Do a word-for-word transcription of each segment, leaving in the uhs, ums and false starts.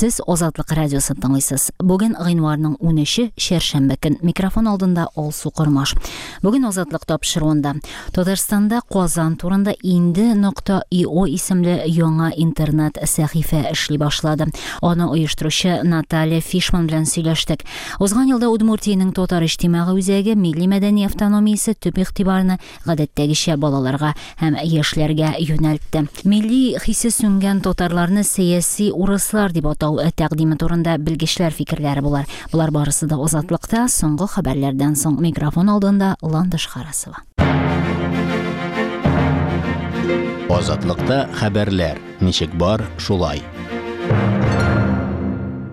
Сез Азатлык радиосын тыңлыйсыз. Бүген гыйнварның унөче, чәршәмбе көн. Микрофон алдында Алсу Кормаш. Бүген Азатлык тапшыруында Татарстанда Казан турында инде нокта ио исемле яңа интернет сәхифә эшли башлады. Аны оештыручы Наталья Фишман белән сөйләштек. Узган елда Удмуртиянең Татар иҗтимагый үзәге милли мәдәни автономиясе төп игътибарны гадәттәгечә балаларга һәм яшьләргә юнәлтте. Милли хисе сүнгән татарларны сәяси урыслар дип атау тәкъдиме турында белгечләр фикерләре булар. Болар барысы да Азатлыкта соңгы хәбәрләрдән соң. Микрофон алдында Ландыш Харасова. Азатлыкта хәбәрләр ничек бар, шулай.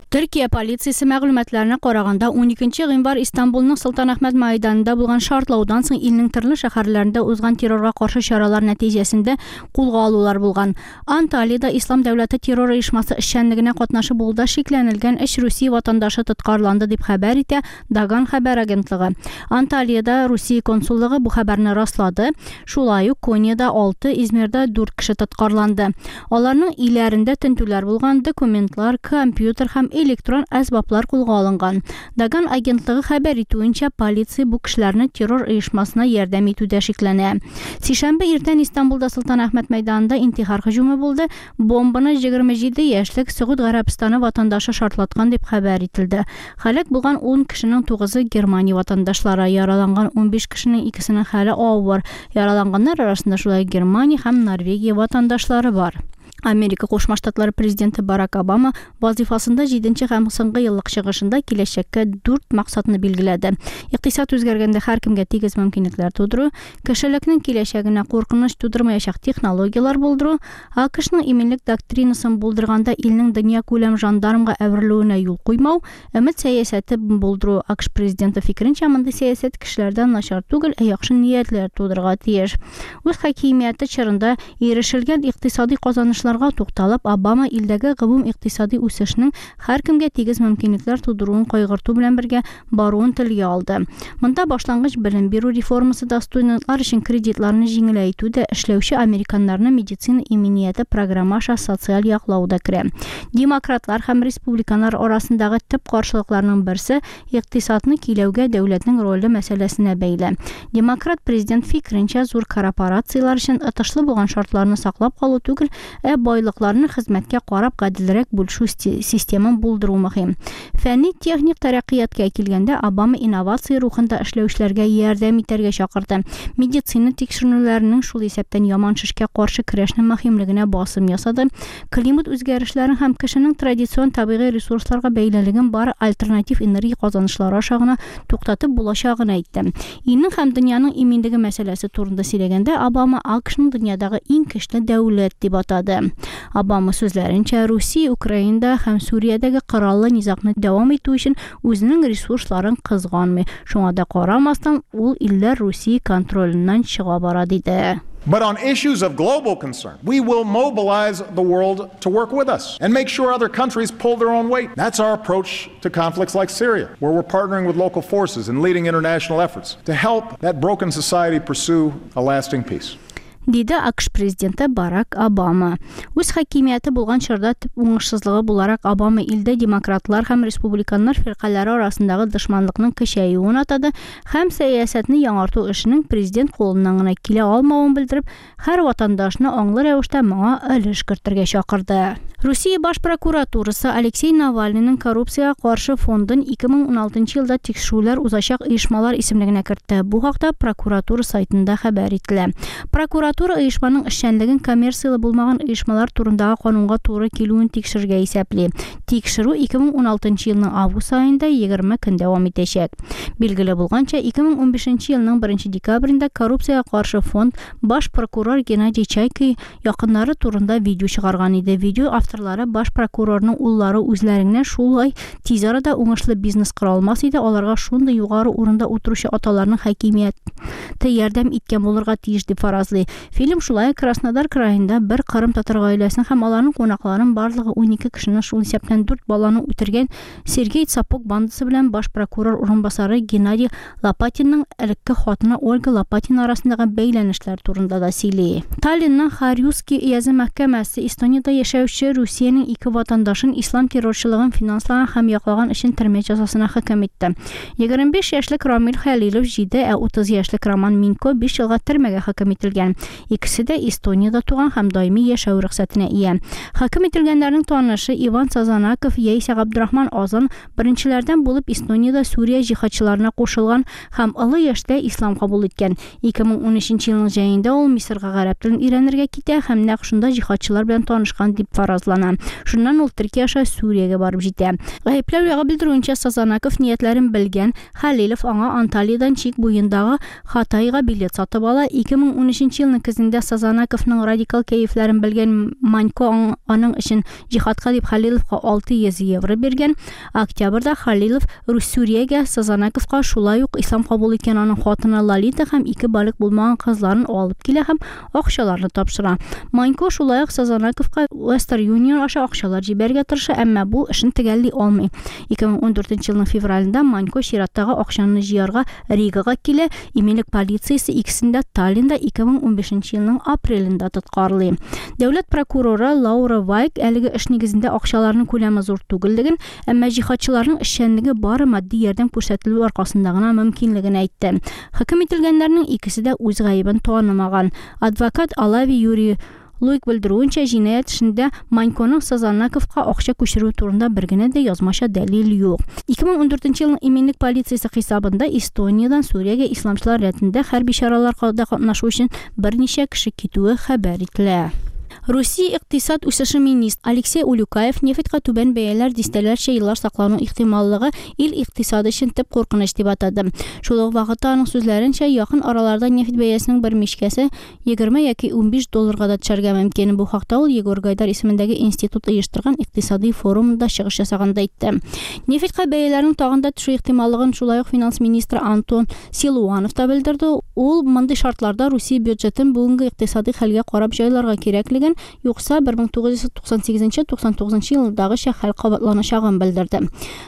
Төркия полициясе мәгълүматларына караганда, уникенче гыйнвар Истанбулның Солтан Әхмәт майданында булган шартлаудан соң илнең төрле шәһәрләрендә узган террорга каршы чаралар нәтиҗәсендә кулга алулар булган. Анталиядә Ислам дәүләте террор оешмасы эшчәнлегенә катнашы булуда шикләнелгән өч Русия ватандашы тоткарланды дип хәбәр итә Даган хәбәр агентлыгы. Анталиядә Русия консуллыгы бу хәбәрне раслады. Шулай ук Коньяда алты, Измирдә дүрт кеше тоткарланды. Аларның өйләрендә тентүләр булган, документлар, компьютер һәм электрон әсбаплар кулга алынган. Даган агентлыгы хәбәр итүенчә, полиция бу кешеләрне террор оешмасына ярдәм итүдә шикләнә. Сишәмбе иртән Истанбулда Солтан Әхмәт мәйданында интихар һөҗүме булды. Бомбаны егерме җиде яшьлек Сөгуд Гарәбстаны ватандашы шартлаткан дип хәбәр ителде. Һәлак булган ун кешенең тугызы Германия ватандашлары, яраланган унбиш кешенең икесенең хәле авыр. Яраланганнар арасында шулай Германия һәм Норвегия ватандашлары бар. Америка Кушма Штатлары президенты Барак Обама вазифасында җиденче һәм соңгы еллык чыгышында киләчәккә дүрт максатны билгеләде. Икътисад үзгәргәндә һәркемгә тигез мөмкинлекләр тудыру, кешелекнең киләчәгенә куркыныч тудырмаячак технологияләр булдыру, АКШның иминлек доктринасын булдырганда илнең дөнья күләм жандармга әверелүенә юл куймау, өмет сәясәте булдыру. АКШ президенты фикеренчә, мондый сәясәт кешеләрдән начар түгел, ә яхшы ниятләр тудырырга тиеш. Үз хакимияте чорында ирешелгән икътисади казанышлар тукталып, Обама илдәге гомум икътисади үсешнең һәркемгә тигез мөмкинлекләр тудыруын кайгырту белән бергә баруын телгә алды. Монда башлангыч белем бирү реформасы да, студентлар өчен кредитларны җиңеләйтү дә, эшләүче американнарны медицина иминияте программа аша социаль яклау да керә. Демократлар һәм республиканнар арасындагы төп каршылыкларның берсе икътисадны көйләүгә дәүләтнең роле мәсьәләсенә бәйле. Демократ президент фикеренчә, зур корпорацияләр өчен отышлы булган шартларны саклап калу түгел, ә байлыкларны хезмәткә карап гаделрәк бүлешү системын булдыру мөһим. Фәнни техник тәрәккыятка килгәндә, Обама инновация рухында эшләүчеләргә ярдәм итәргә чакырды. Медицина тикшеренүләренең, шул исәптән яман шешкә каршы көрәшнең мөһимлегенә басым ясады. Климат үзгәрешләрен һәм кешенең традицион табигый ресурсларга бәйлелеген бары альтернатив энергия казанышлары аша гына туктатып булачагын әйтте. Илнең һәм дөньяның иминлеге мәсьәләсе турында сөйләгәндә, Обама АКШның дөньядагы иң көчле дәүләт дип атады. Обама сүзләренчә, Русия Украинада һәм Сүриядәге кораллы низагны дәвам итү өчен үзенең ресурсларын кызганмый. Шуңа да карамастан, ул илләр Русия контроленнән чыга бара диде. But on issues of global concern, we will mobilize the world to work with us and make sure other countries pull their own weight. That's our approach to conflicts like Syria, where we're partnering with local forces and leading international efforts to help that broken society pursue a lasting peace. Диде АКШ президенты Барак Обама. Үз хакимияте булган чорда төп уңышсызлыгы буларак Обама илдә демократлар һәм республиканнар фиркаләре арасындагы дошманлыкның көчәюен атады һәм сәясәтне яңарту эшенең президент кулыннан гына килә алмавын белдереп, һәр ватандашны аңлы рәвештә моңа өлеш кертергә чакырды. Русия баш прокуратурасы Алексей Навальныйның коррупциягә каршы фондын ике мең уналтынчы елда тикшерүләр узачак оешмалар исемлегенә кертте. Бу хакта прокуратура сайтында хәбәр ителә. Прокуратура оешманың эшчәнлеген коммерцияле булмаган оешмалар турындагы канунга туры килүен тикшерергә исәпли. Тикшерү ике мең уналтынчы елның август аенда егерме көн дәвам итәчәк. Билгеле булганча, ике мең унбишенче елның беренче декабрендә коррупциягә каршы фонд баш прокурор Геннадий Чайка якыннары турында видео чыгарган иде. Видео авторлары баш прокурорның уллары үзләреннән шулай тиз арада уңышлы бизнес кора алмас иде, аларга шундый югары урында утыручы аталарның хакимият теракты ярдәм иткән булырга тиеш дип фаразлый. Фильм шулай Краснодар краенда бер кырым татар гаиләсен һәм аларның кунакларын барлыгы унике кешене, шул исәптән дүрт баланы үтергән Сергей Цапок бандасы белән баш прокурор урынбасары Геннадий Лопатинның элекке хатыны Ольга Лопатина арасындагы бәйләнешләр турында да сөйли. Таллинның Харьюский өязе мәхкәмәсе Эстониядә яшәүче Русиянең ике ватандашын ислам террорчылыгын финанслаган һәм яклаган өчен төрмә җәзасына хөкем итте. Егерме биш яшьлек Рамил Хәлилов җиде, ә утыз яшьлек Роман Минко биш елга төрмәгә хөкем ителгән. Икесе дә Эстониядә туган һәм даими яшәү рөхсәтенә ия. Хөкем ителгәннәрнең танышы Иван Сазанаков яисә Габдрахман Азан беренчеләрдән булып Эстониядә Сүрия җиһадчыларына кушылган һәм олы яшьтә ислам кабул иткән. ике мең унөченче елның җәендә ул Мисырга гарәп телен өйрәнергә китә һәм нәкъ шунда җиһадчылар белән танышкан дип фаразлана. Шуннан ул Төркия аша Сүриягә барып җитә. Гаепләү ягы белдерүенчә, Сазанаков ниятләрен белгән Хәлилов аңа Анталиядан чик буендагы Хатайга билет сатып ала. ике мең унөченче елның көзендә Сазанаковның радикал кәефләрен белгән Манько аның өчен җиһадка дип Хәлиловка алты йөз евро биргән. Октябрьдә Хәлилов Сүриягә Сазанаковка шулай ук ислам кабул иткән аның хатыны Лолита һәм ике балигъ булмаган кызларын алып килә һәм акчаларны тапшыра. Манько шулай ук Сазанаковка Western Union аша акчалар җибәрергә тырыша, әмма бу эшен төгәлли алмый. ике мең ундүртенче елның февралендә Манько чираттагы акчаны җыярга Ригага килә. Иминлек полициясе икесен дә Таллинда ике мең унбишенче елның апрелендә тоткарлый. Дәүләт прокуроры Лаура Вайк әлеге эш нигезендә акчаларның күләме зур түгеллеген, әмма җиһадчыларның эшчәнлеге бары матди ярдәм күрсәтелү аркасында гына мөмкинлеген әйтте. Хөкем ителгәннәрнең икесе дә үз гаебен танымаган. Адвокат Алави Юрий Луик белдерүенчә, җинаять эшендә Маньконың Сазанаковка акча күчерү турында бер генә дә язмача дәлил юк. ике мең ундүртенче елның иминлек полициясе хисабында Эстониядән Сүриягә исламчылар рәтендә хәрби чараларда катнашу өчен берничә кеше китүе хәбәр ителә. Русия икътисад үсеше министры Алексей Улюкаев нефтькә түбән бәяләр дистәләрчә еллар саклану ихтималлыгы ил икътисады өчен төп куркыныч дип атады. Шул ук вакытта аның сүзләренчә, якын араларда нефть бәясенең бер мичкәсе егерме яки унбиш долларга да төшәргә мөмкин. Бу хакта ул Егор Гайдар исемендәге институт оештырган икътисади форумында чыгыш ясаганда әйтте. Нефтькә бәяләрнең тагын да төшү ихтималлыгын шулай ук финанс министры Антон Силуанов та белдерде. Ул мондый шартларда Русия бюджетын бүгенге икътисади хәлгә карап җайларга кирәклеген, юкса бер мең тугыз йөз туксан сигезенче туксан тугызынчы елдагыча хәл кабатланачагын белдерде.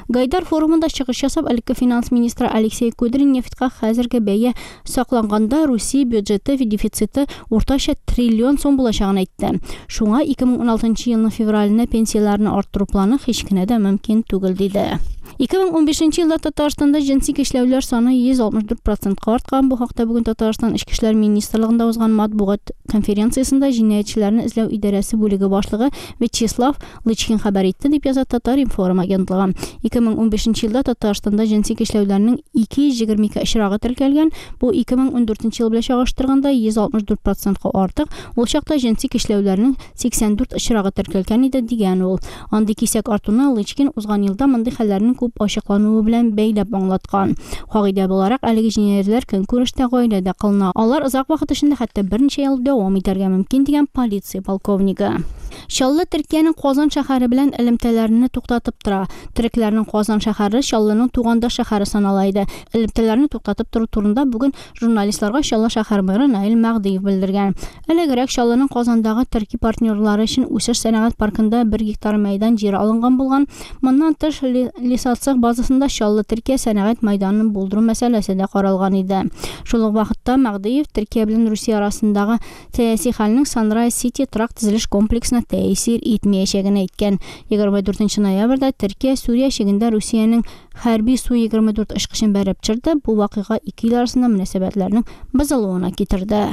Гайдар форумында чыгыш ясап, элекке финанс министры Алексей Кудрин нефтькә хәзерге бәя сакланганда Русия бюджеты дефициты уртача триллион сум булачагын әйтте. Шуңа ике мең уналтынчы елның февраленә пенсияләрне арттыру планы һич кенә дә мөмкин түгел диде. ике мең унбишенче елда Татарстанда җенси көчләүләр саны йөз алтмыш дүрт процентка арткан. Бу хакта бүген Татарстан Эчке эшләр министрлыгында узган матбугат конференциясендә җинаятьчеләрне эзләү идарәсе бүлеге башлыгы Вячеслав Лычкин хәбәр итте, дип яза Татар-информ агентлыгы. ике мең унбишенче елда Татарстанда җенси көчләүләрнең ике йөз егерме ике очрагы теркәлгән. Бу ике мең ундүртенче ел белән чагыштырганда йөз алтмыш дүрт процентка артык. Ул чакта җенси көчләүләрнең сиксән дүрт очрагы теркәлгән иде, дигән ул. Андый кисәк артуны Лычкин узган елда мондый хәлләрнең күп ачыклануы белән бәйләп аңлаткан. Кагыйдә буларак, әлеге җинаятьләр көнкүрештә, гаиләдә кылына. Алар озак вакыт эчендә, хәтта берничә ел дәвам итәргә мөмкин, дигән полиция полковнигы. Чаллы Төркиянең Казан шәһәре белән элемтәләрне туктатып тора. Төрекләрнең Казан шәһәре Чаллының тугандаш шәһәре санала иде. Элемтәләрне туктатып тору турында бүген журналистларга Чаллы шәһәр мэры Наил Мәгъдиев белдергән. Элегрәк Чаллының Казандагы төрки партнерлары өчен үсеш сәнәгать паркында бер гектар мәйдан җире алынган булган. Моннан тыш Лесоцех базасында Чаллы Төркия сәнәгать мәйданын булдыру мәсьәләсе дә каралган иде. Шул ук вакытта Мәгъдиев Төркия белән Русия арасындагы сәяси хәлнең Sunrise City торак төзелеш комплексына тәэсир итмәячәген әйткән. Егерме дүртенче ноябрьдә Төркия Сүрия чигендә Русиянең хәрби Су егерме дүрт очкычын бәреп төшерде. Бу вакыйга ике ил арасында мөнәсәбәтләрнең бозылуына китерде.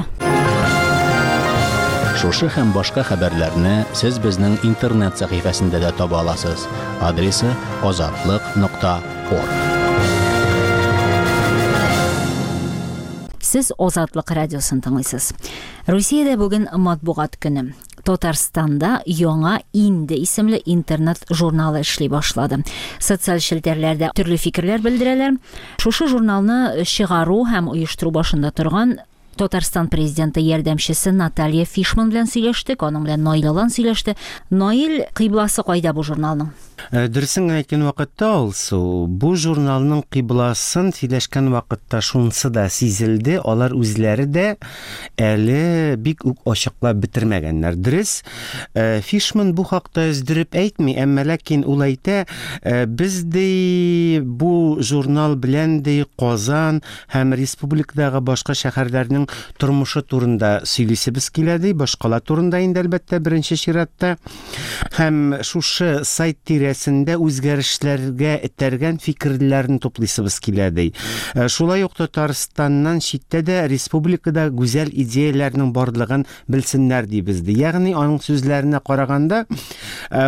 Шушы һәм башка хәбәрләрне сез безнең интернет сәхифәсендә дә таба аласыз. Адресы азатлык нокта орг. Сез Азатлык радиосын тыңлыйсыз. Русиядә бүген матбугат көне. Татарстанда яңа Инде исемле интернет журналы эшли башлады. Социаль челтәрләрдә төрле фикерләр белдерәләр. Шушы журналны чыгару һәм оештыру башында торган Татарстан президенты ярдәмчесе Наталья Фишман белән сөйләштек, аның белән Наил Алан сөйләште. Наил, кыйбласы кайда бу журналның? Дөресен әйткән вакытта, Алсу, бу журналның кыйбласын сөйләшкән вакытта шунысы да сизелде, алар үзләре дә әле бик үк ачыклап бетермәгәннәр. Дөрес, Фишман бу хакта өздереп әйтми, әмма ләкин ул әйтә, без ди бу журнал белән ди Казан һәм республикадагы башка шәһәрләрнең тормышы турында сөйлисебез килә ди, башкала турында инде әлбәттә беренче чиратта. Һәм шушы сайт тирәсендә үзгәрешләргә этәргән фикерләрне туплыйсыбыз килә ди. Шулай ук Татарстаннан читтә дә республикада гүзәл идеяләрнең барлыгын белсеннәр дибез ди. Ягъни аның сүзләренә караганда,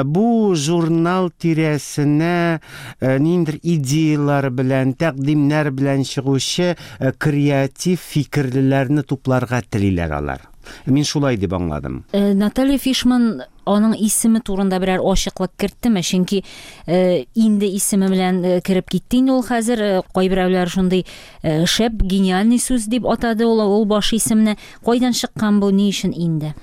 бу журнал тирәсенә ниндидер идеялар белән, тәкъдимнәр белән чыгучы креатив фикерлеләрне тупларга телиләр алар. Мин шулай дип аңладым. Наталья Фишман аның исеме турында берәр ачыклык керттеме? Чөнки инде исеме белән кереп китте инде ул хәзер. Кайберәүләр шундый шәп, гениальный сүз дип атады ул, ул баш исемне. Кайдан чыккан бу, ни өчен инде?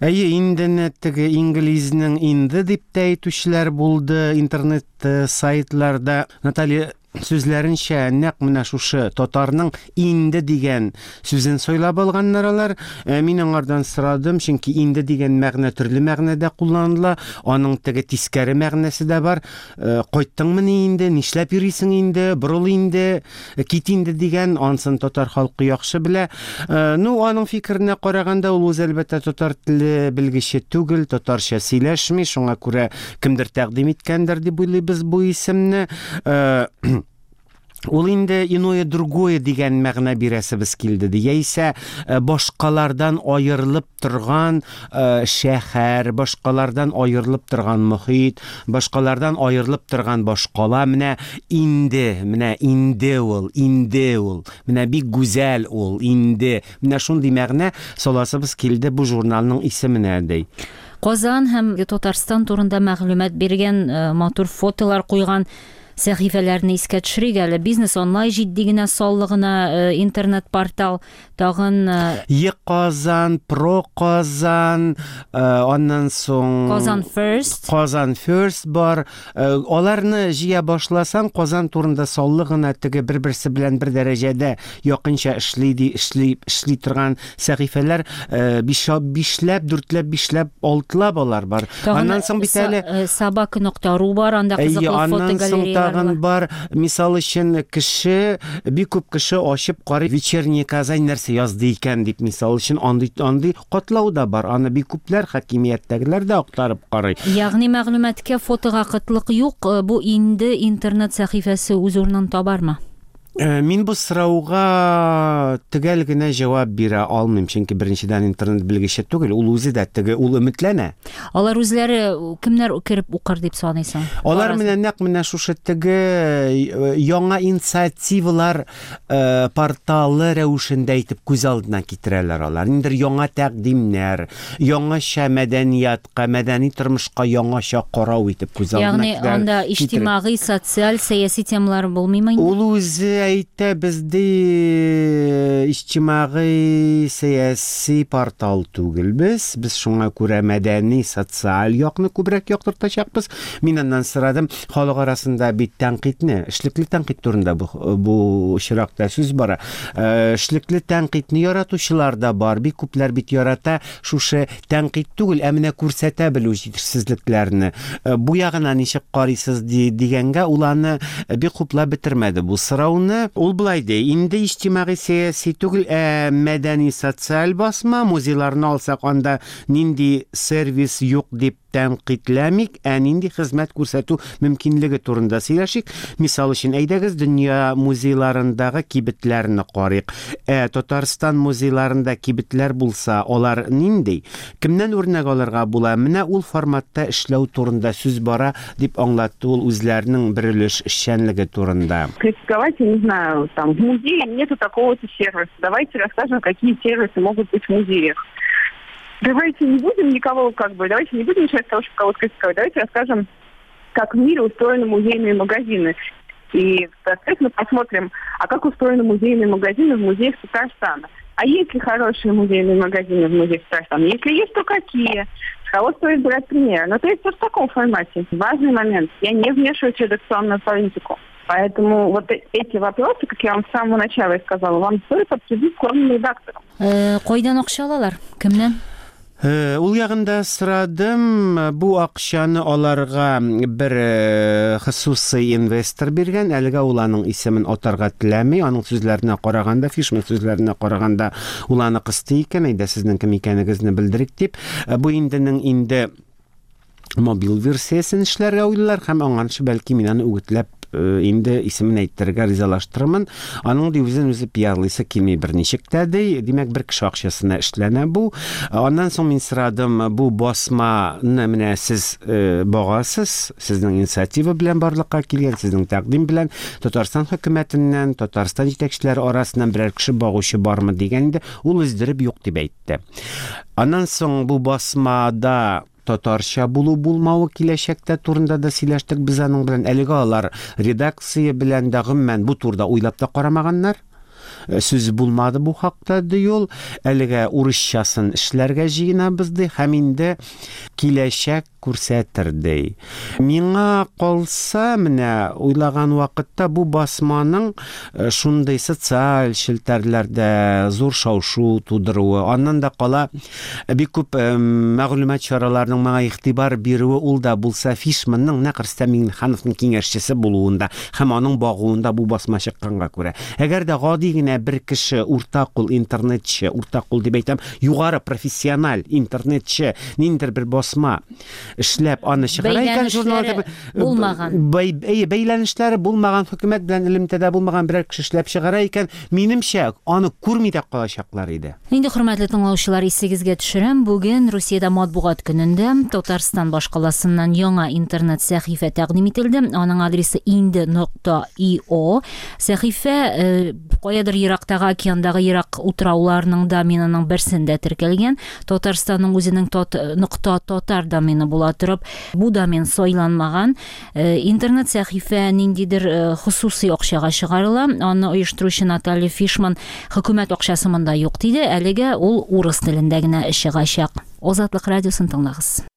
Әйе, индене теге инглизнең инде дип тә әйтүчеләр булды интернет сайтларда. Наталья сүзләренчә, нәкъ менә шушы татарның инде дигән сүзен сайлап алганнар алар. Мин аңардан сорадым, чөнки инде дигән мәгънә төрле мәгънәдә кулланыла, аның теге тискәре мәгънәсе дә бар. Кайттыңмы ни инде, нишләп йөрисең инде, борыл инде, кит инде дигән, ансын татар халкы яхшы белә. Ну, аның фикеренә караганда, ул үзе әлбәттә татар теле белгече түгел, татарча сөйләшми, шуңа күрә кемдер тәкъдим иткәндер дип уйлыйбыз бу исемне. Ул инде иное другое дигән мәгънә бирәсебез килде, ди. Яисә башкалардан аерылып торган шәһәр, башкалардан аерылып торган мохит, башкалардан аерылып торган башкала. Менә инде, менә инде ул, инде ул, менә бик гүзәл ул, инде. Менә шундый мәгънә саласыбыз килде бу журналның исеменә, ди. Казан һәм Татарстан турында мәгълүмат биргән, матур фотолар куйган сәхифәләрне искә төшерик әле. Бизнес онлайн җитди генә, саллы гына интернет-портал, тагын Е-Казан, Про Казан, аннан соң Казан First. Казан First бар. Аларны җыя башласаң, Казан турында саллы гына теге бер-берсе белән бер дәрәҗәдә якынча эшли ди, эшли, эшли торган сәхифәләр бишләп, дүртләп, бишләп, алтылап алар бар. Аннан соң бит әле собака нокта ру бар, анда кызыклы фотогалереялар бар. Бар, мисал өчен, кеше, бик күп кеше ачып карый, Вечерняя Казань нәрсә язды икән дип, мисал өчен, андый андый катлау да бар. Аны бик күпләр хакимияттәгеләр дә актарып карый. Ягъни мәгълүматка, фотога кытлык юк, бу инде интернет сәхифәсе үз урынын табармы? Мин бу сорауга төгәл генә җавап бирә алмыйм, чөнки беренчедән интернет белгече түгел, ул үзе дә теге, ул өметләнә. Алар үзләре кемнәр кереп укыр дип саныйсың? Алар менә нәкъ менә шушы теге яңа инициативалар порталы рәвешендә итеп күз алдына китерәләр алар. Ниндидер яңа тәкъдимнәр, яңача мәдәниятка, мәдәни тормышка яңача карау итеп күз алдына китерәләр. Ягъни анда иҗтимагый, социаль, сәяси темалар булмыймы инде? Ул үзе әйтә, бездә иҗтимагый, сәяси портал түгел без. Без шуңа күрә мәдәни, социаль якны күбрәк яктыртачакбыз. Мин аннан сорадым, халык арасында бит тәнкыйтьне, эшлекле тәнкыйть турында бу, бу очракта сүз бара. Эшлекле тәнкыйтьне яратучылар да бар, бик күпләр бит ярата шушы тәнкыйть түгел, ә менә күрсәтә белү җитешсезлекләрне. Бу ягына ничек карыйсыз дигәнгә, ул аны бик хуплап бетермәде бу сорауны. Ул былай ди, инде иҗтимагый сәяси түгел, ә мәдәни социаль басма, музейларны алсак, анда нинди сервис юк дип тәнкыйтьләмик, ә нинди хезмәт күрсәтү мөмкинлеге турында сөйләшик. Мисал өчен, әйдәгез, дөнья музейларындагы кибетләрне карыйк. Ә Татарстан музейларында кибетләр булса, алар нинди? Кемнән үрнәк алырга була? Менә ул форматта эшләү турында сүз бара, дип аңлатты ул үзләренең бер өлеш эшчәнлеге турында. Критиковать, я не знаю, там в музее нету такого-то сервиса. Давайте расскажем, какие сервисы могут быть в музеях. Давайте не будем никого, как бы, давайте не будем начинать с того, чтобы кого-то критиковать. Давайте расскажем, как в мире устроены музейные магазины. И, соответственно, посмотрим, а как устроены музейные магазины в музеях Татарстана. А есть ли хорошие музейные магазины в музеях Татарстана? Если есть, то какие? С кого стоит брать пример? Ну, то есть вот в таком формате. Важный момент. Я не вмешиваюсь в редакционную политику. Поэтому вот эти вопросы, как я вам с самого начала и сказала, вам стоит обсудить с главным редактором. Кайдан акча алалар? Кемнән? Ул ягында сорадым, бу акчаны аларга бер хосусый инвестор биргән, әлегә ул аның исемен атарга теләми, аның сүзләренә караганда, Фишман сүзләренә караганда, ул аны кысты икән, әйдә сезнең кем икәнегезне белдерик дип. Бу инденең инде мобил версиясен эшләргә уйлыйлар һәм аңарчы бәлки мин аны үгетләп инде исемен әйттерергә ризалаштырырмын. Аның ди үзен үзе пиарлыйсы килми берничек тә ди. Димәк, бер кеше акчасына эшләнә бу. Аннан соң мин сорадым, бу басманы менә сез багасыз, сезнең инициатива белән барлыкка килгән, сезнең тәкъдим белән Татарстан хөкүмәтеннән, Татарстан җитәкчеләре арасыннан берәр кеше багучы бармы дигән инде, ул өздереп юк дип әйтте. Аннан соң бу басмада татарча булу булмавы киләчәктә турында да сөйләштек без аның белән. Әлегә алар редакция белән дә гомумән бу турыда уйлап та карамаганнар. Сүз булмады бу хакта ди ул. Әлегә урысчасын эшләргә җыенабыз ди һәм инде киләчәк күрсәтер ди. Миңа калса, менә уйлаган вакытта бу басманың шундый социаль челтәрләрдә зур шау-шу тудыруы, аннан да кала бик күп мәгълүмат чараларының моңа игътибар бирүе, ул да булса Фишманның нәкъ Рөстәм Миңнехановның киңәшчесе булуында һәм аның багуында бу басма чыкканга күрә. Әгәр дә гади генә бер кеше, уртакул интернетчы, уртакул дип әйтәм, югары профессиональ интернетчы, ниндидер бер басма эшләп аны чыгара икән, журналда булмаган, бәйләнешләре булмаган, хөкүмәт белән элемтәдә булмаган берәр кеше эшләп чыгара икән, минемчә, аны күрми дә калачаклар иде. Инде, хөрмәтле тыңлаучылар, исегезгә төшерәм, бүген Русиядә матбугат көнендә Татарстан башкаласыннан яңа интернет сәхифә тәкъдим ителде. Аның адресы инде нокта io. Сәхифә каядыр ерактагы океандагы ерак утрауларның доменының берсендә теркәлгән. Татарстанның үзенең нокта татар домены була торып, бу домен сайланмаган. Интернет сәхифә ниндидер хосусый акчага чыгарыла. Аны оештыручы Наталья Фишман хөкүмәт акчасы монда юк диде. Әлегә ул урыс телендә генә чыгачак. Азатлык радиосын тыңлагыз.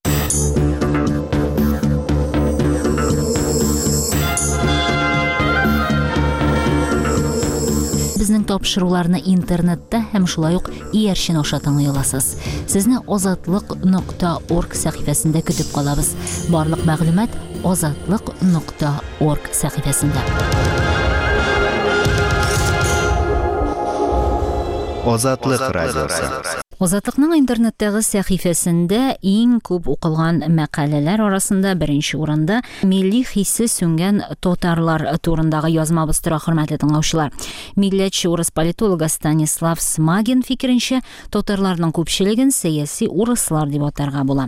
Безнең тапшыруларны интернетта һәм шулай ук иярчен аша тыңлый аласыз. Сезне азатлык нокта орг сәхифәсендә көтеп калабыз. Барлык мәгълүмат азатлык нокта орг сәхифәсендә. Азатлык радиосы. Азатлыкның интернеттагы сәхифәсендә иң күп укылган мәкаләләр арасында беренче урында милли хисе сүнгән татарлар турындагы язмабыз тора, хөрмәтле тыңлаучылар. Милләтче урыс политологы Станислав Смагин фикеренчә, татарларның күпчелеген сәяси урыслар дип атарга була.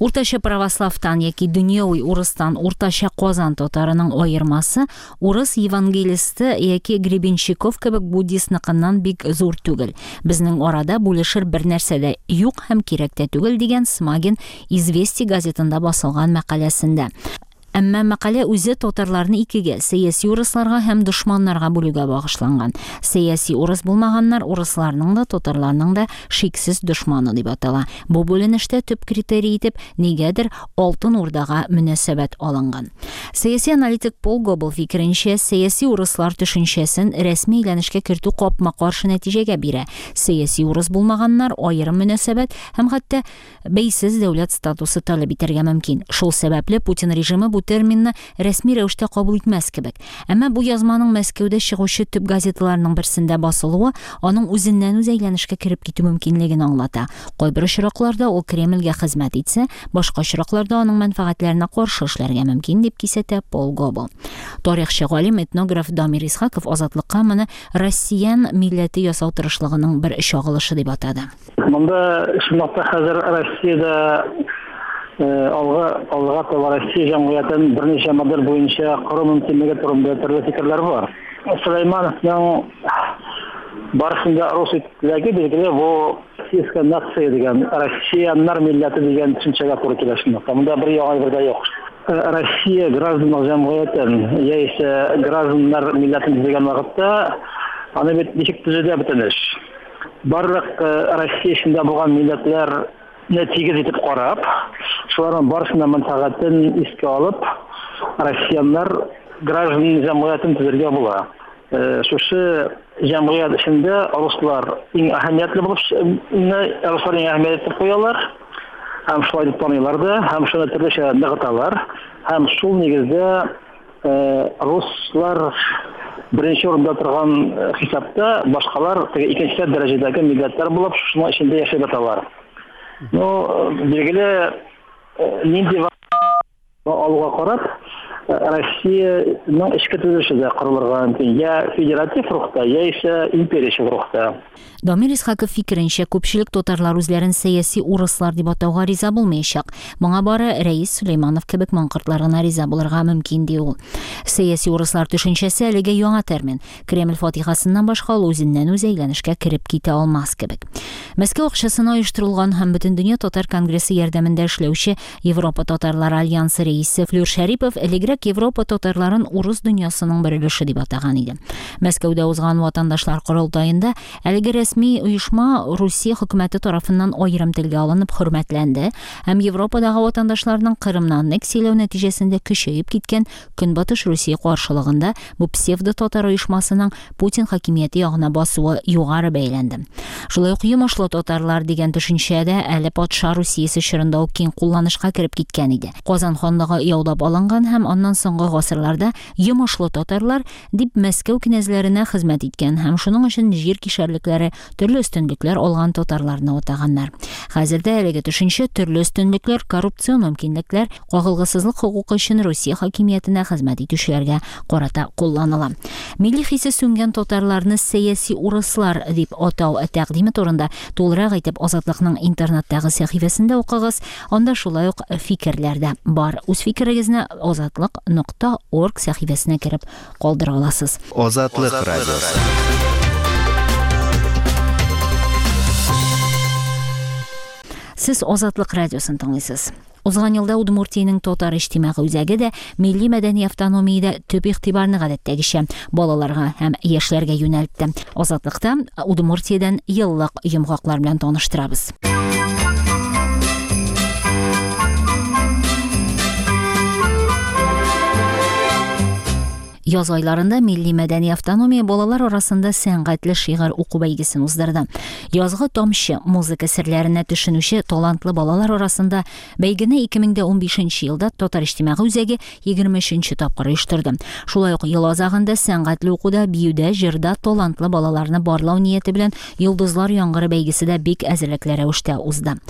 Уртача православтан яки дөньяви урыстан уртача Казан татарының аермасы урыс евангелисты яки Гребенщиков кебек буддистныкыннан бик зур түгел. Безнең арада бүлешер бер нәрсә дә юк һәм кирәк тә түгел дигән Смагин Известия газетында басылган мәкаләсендә. Әмма мәкалә үзе татарларны икегә, сәяси урысларга һәм дошманнарга бүлүгә багышланган. Сәяси урыс булмаганнар урысларның да, татарларның да шиксез дошманы дип атала. Бу бүленештә төп критерий итеп нигәдер Алтын Урдага мөнәсәбәт алынган. Сәяси аналитик Пол Гобл фикеренчә, сәяси урыслар төшенчәсен рәсми әйләнешкә кертү капма-каршы нәтиҗәгә бирә. Сәяси урыс булмаганнар аерым мөнәсәбәт һәм хәтта бәйсез дәүләт статусы таләп итәргә мөмкин. Шул сәбәпле Путин режимы бу терминны рәсми рәвештә кабул итмәс кебек. Әмма бу язманың Мәскәүдә чыгучы төп газеталарның берсендә басылуы аның үзеннән үзе әйләнешкә кереп китү мөмкинлеген аңлата. Кайбер очракларда ул Кремльгә хезмәт итсә, башка очракларда аның мәнфәгатьләренә каршы эшләргә мөмкин дип кисәтә Пол Гобл. Тарихчы галим этнограф Дамир Исхаков Азатлыкка моны Россиян милләте ясау тырышлыгының бер чагылышы дип атады. Монда шунлыкта хәзер Россиядә алга алга таба Россия җәмгыятен берничә модель буенча кору мөмкинлеге турында төрле фикерләр бар. Сулеймановның барысында рус теләге билгеле бу российская нация дигән, россияннар милләте дигән төшенчәгә туры килә шунлыкта. Монда бер яңа бер дә юк. Россия гражданлык җәмгыятен яисә гражданнар милләтен төзегән вакытта аны бит ничек төзелә бөтен эш. Барлык Россия эчендә булган милләтләрне тигез итеп карап, шуларның барысының мәнфәгатен искә алып, россияннар граждан җәмгыятен төзергә була. Шушы җәмгыять эчендә руслар иң әһәмиятле булып, руслар иң әһәмиятле куялар, һәм шулай дип таныйлар да, һәм шуны төрлечә ныгыталар, һәм шул нигездә руслар беренче урында торган хисапта, башкалар теге икенче дәрәҗәдәге милләтләр булып, шуның эчендә яшәп яталар. Ну, билгеле, нинди алуга карап, Россиянең эчке төзелеше дә корылырга мөмкин, я федератив рухта, я исә империячел рухта. Дамир Исхаков фикеренчә, күпчелек татарлар үзләрен сәяси урыслар дип атауга риза булмаячак. Моңа бары Рәис Сөләйманов кебек маңкортлар гына риза булырга мөмкин, ди ул. Сәяси урыслар төшенчәсе әлегә яңа термин. Кремль фатихасыннан башка ул үзеннән үзе әйләнешкә кереп китә алмас кебек. Мәскәү акчасына оештырылган һәм Бөтендөнья татар конгрессы ярдәмендә эшләүче Европа татарлары альянсы рәисе Флюр Шәрипов элегрәк Европа татарларын урыс дөньясының бер өлеше дип атаган иде. Мәскәүдә узган ватандашлар корылтаенда әлеге рәсми оешма Русия хөкүмәте тарафыннан аерым телгә алынып хөрмәтләнде һәм Европадагы ватандашларның Кырымны аннексияләү нәтиҗәсендә көчәеп киткән Көнбатыш Русия каршылыгында бу псевдо-татар оешмасының Путин хакимияте ягына басуы югары бәйләнде. Шулай ук йомышлы татарлар дигән төшенчә дә әле патша Русиясе чорында ук киң кулланышка кереп киткән иде. Казан ханлыгы яулап алынган һәм аннан соңгы гасырларда йомышлы татарлар дип Мәскәү князьләренә хезмәт иткән һәм шуның өчен җир кишәрлекләре төрле өстенлекләр алган татарларны атаганнар. Хәзер дә әлеге төшенчә төрле өстенлекләр, коррупцион мөмкинлекләр, кагылгысызлык хокукы өчен Русия хакимиятенә хезмәт итүчеләргә карата кулланыла. Милли хисе сүнгән татарларны сәяси урыслар дип атау тәкъдиме турында тулырак итеп Азатлыкның интернеттагы сәхифәсендә укыгыз. Анда шулай ук фикерләр дә бар. Үз фикерегезне азатлык нокта орг сәхифәсенә кереп калдыра аласыз. Азатлык радиосы. Сез Азатлык радиосын тыңлыйсыз. Узган елда Удмуртиянең татар иҗтимагый үзәге дә милли мәдәни автономиядә төп игътибарны гадәттәгечә балаларга һәм яшьләргә юнәлтте. Азатлыкта Удмуртиядән еллык йомгаклар белән таныштырабыз. Яз айларында милли мәдәни автономия балалар арасында сәнгатьле шигырь уку бәйгесен уздырды. Язгы тамчы музыка серләренә төшенүче талантлы балалар арасында бәйгене ике мең дә унбишенче елда Татар иҗтимагый үзәге егерме өченче тапкыр оештырды. Шулай ук ел азагында сәнгатьле укуда, биюдә, җырда талантлы балаларны барлау нияте белән Йолдызлар яңгыры бәйгесе дә бик әзерлекле рәвештә узды.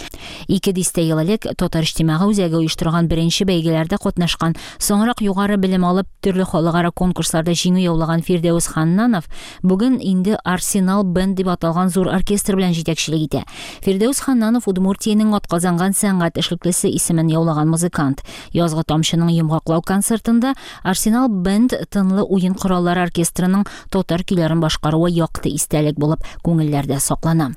Ике дистә ел элек Татар иҗтимагый үзәге оештырган беренче бәйгеләрдә катнашкан, соңрак югары белем алып төрле халыкара конкурсларда җиңү яулаган Фирдәүс Ханнанов бүген инде Арсенал бенд дип аталган зур оркестр белән җитәкчелек итә. Фирдәүс Ханнанов Удмуртиянең атказанган сәнгать эшлеклесе исемен яулаган музыкант. Язгы тамчының йомгаклау концертында Арсенал бенд тынлы уен кораллары оркестрының татар көйләрен башкаруы якты истәлек булып күңелләрдә саклана.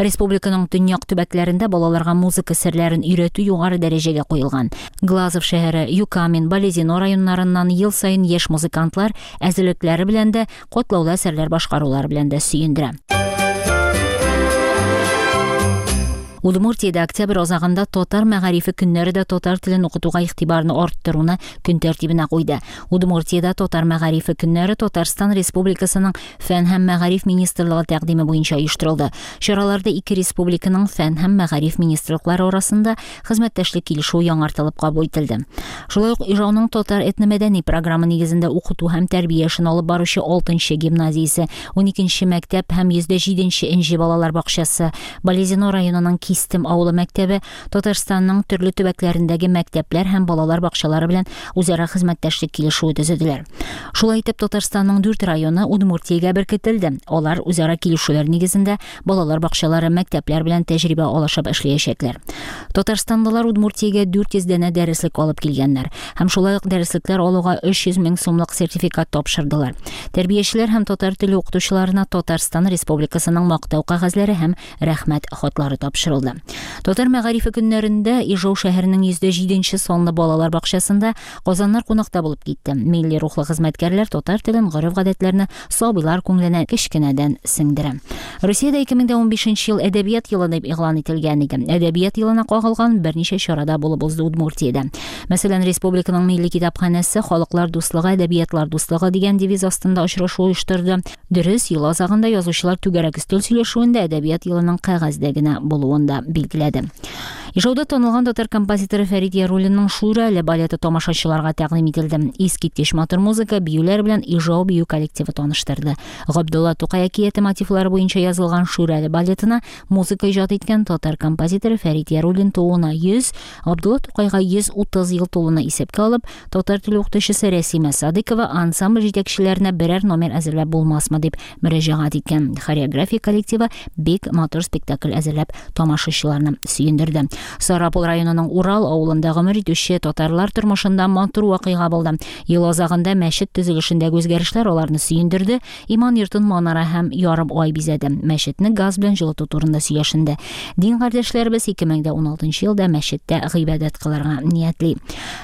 Республиканың төньяк төбәкләрендә балаларга музыка серләрен өйрәтү югары дәрәҗәгә куелган. Глазов шәһәре, Юкамин, Балезино районнарыннан ел саен яшь музыкантлар әзерлекләре белән дә, катлаулы әсәрләр башкарулары белән дә сөендерә. Удмуртиядә октябрь азагында татар мәгарифе көннәре дә татар телен укытуга игътибарны арттыруны көн тәртибенә куйды. Удмуртиядә татар мәгарифе көннәре Татарстан Республикасының Фән һәм мәгариф министрлыгы тәкъдиме буенча оештырылды. Чараларда ике республиканың фән һәм мәгариф министрлыклары арасында хезмәттәшлек килешүе яңартылып кабул ителде. Шулай ук Ижауның татар этномәдәни программы нигезендә укыту һәм тәрбия эшен алып баручы алтынчы гимназиясе, уникенче мәктәп һәм йөз дә җиденче энҗе балалар бакчасы, Балезино районының Кистем авылы мәктәбе Татарстанның төрле төбәкләрендәге мәктәпләр һәм балалар бакчалары белән үзара хезмәттәшлек килешүе төзеделәр. Шулай итеп Татарстанның дүрт районы Удмуртиягә беркетелде. Алар үзара килешүләр нигезендә балалар бакчалары, мәктәпләр белән тәҗрибә алышып эшләячәкләр. Татарстанлылар Удмуртиягә дүрт йөз данә дәреслек алып килгәннәр һәм шулай ук дәреслекләр алуга өч йөз мең сумлык сертификат тапшырдылар. Тәрбиячеләр һәм татар теле укытучыларына Татарстан Республикасының мактау кәгазьләре һәм рәхмәт хатлары тапшырылды. булды. Татар мәгарифе көннәрендә Ижау шәһәренең йөз җиденче санлы балалар бакчасында Казаннар кунакта булып китте. Милли рухлы хезмәткәрләр татар телен, гореф-гадәтләрне сабыйлар күңеленә кечкенәдән сеңдерә. Русиядә ике мең унбишенче ел әдәбият елы дип игълан ителгән иде. Әдәбият елына кагылган берничә чарада булып узды Удмуртиядә. Мәсәлән, республиканың милли китапханәсе Халыклар дуслыгы, әдәбиятлар дуслыгы дигән девиз астында очрашу оештырды. Дөрес, ел азагында язучылар түгәрәк өстәл сөйләшүендә әдәбият елының кәгазьдә генә булуын да билгеләде. Ижауда танылган татар композиторы Фәрит Яруллинның Шүрәле балеты тамашачыларга тәкъдим ителде. Искиткеч матур музыка, биюләр белән Ижау бию коллективы таныштырды. Габдулла Тукай әкияте мотивлары буенча язылган Шүрәле балетына музыка иҗат иткән татар композиторы Фәрит Яруллин тууына йөз, Габдулла Тукайга йөз утыз ел тулуны исәпкә алып, татар теле укытучысы Рәсимә Садыкова ансамбль җитәкчеләренә берәр номер әзерләп булмасмы дип мөрәҗәгать иткән. Хореография коллективы бик матур спектакль әзерләп тамашачыларны сөендерде. Сарапул районының Урал авылында гомер итүче татарлар тормышында матур вакыйга булды. Ел азагында мәчет төзелешендәге үзгәрешләр аларны сөендерде. Иман йортын манара һәм ярым ай бизәде. Мәчетне газ белән җылыту турында сөйләшенде. Дин кардәшләребез ике мең уналтынчы елда мәчеттә гыйбадәт кылырга ниятли.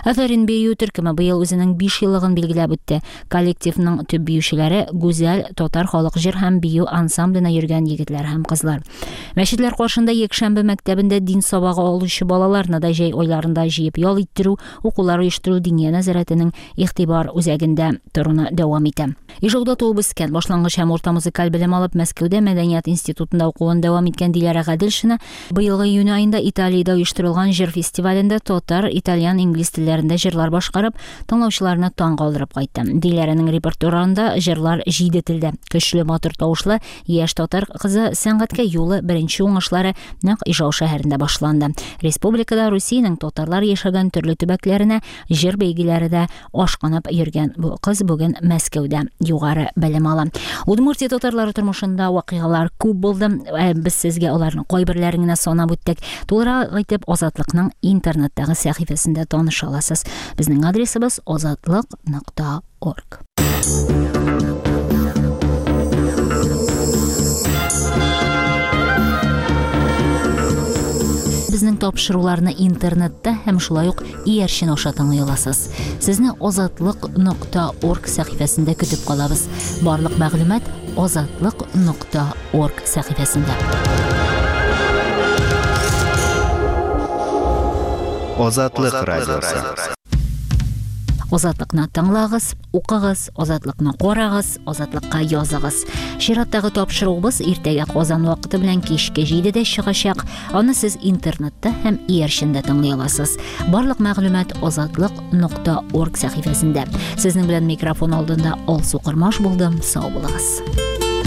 Афәрин бию төркеме быел үзенең биш еллыгын билгеләп үтте. Коллективның төп биючеләре Гүзәл татар халык җыр һәм бию ансамбленә йөргән егетләр һәм кызлар. Мәчетләр каршында якшәмбе мәктәбендә дин сабагы алучы балаларны да җәй айларында җыеп ял иттерү, укулар оештыру Диния нәзарәтенең игътибар үзәгендә торуны дәвам итә. Ижауда туып үскән, башлангыч һәм урта музыкаль белем алып, Мәскәүдә мәдәният институтында укуын дәвам иткән Диләрә Гаделшина быелгы июнь аенда Италиядә оештырылган җыр фестивалендә татар, итальян, инглиз телләрендә җырлар башкарып, тыңлаучыларны таң калдырып кайтты. Диләрәнең репертуарында җырлар җиде телдә. Көчле матур тавышлы яшь татар кызы сәнгатькә юлы беренче уңышлары нәкъ Ижау шәһәрендә башланды. Республикада Русиянең татарлар яшәгән төрле төбәкләренә җыр бәйгеләре дә ашкынып йөргән бу кыз бүген Мәскәүдә югары белем ала. Удмуртия татарлары тормышында вакыйгалар күп булды. Без сезгә аларның кайберләрен генә санап үттек. Тулырак итеп Азатлыкның интернеттагы сәхифәсендә таныша аласыз. Безнең адресыбыз азатлык нокта орг. Безнең тапшыруларны интернетта һәм шулай ук иярчен аша тыңлый аласыз. Сезне азатлык нокта орг сәхифәсендә көтеп калабыз. Барлык мәгълүмат азатлык нокта орг сәхифәсендә. Азатлык радиосы. Азатлыкны тыңлагыз, укыгыз, азатлыкны карагыз, азатлыкка языгыз. Чираттагы тапшыруыбыз иртәгә Казан вакыты белән кичке җидедә чыгачак. Аны сез интернетта һәм иярчендә тыңлый аласыз. Барлык мәгълүмат азатлык нокта орг сәхифәсендә. Сезнең белән микрофон алдында Алсу Кормаш булдым. Сау булыгыз. We'll be right back.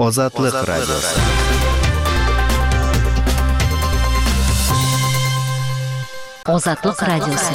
Азатлык радиосы. Азатлык радиосы.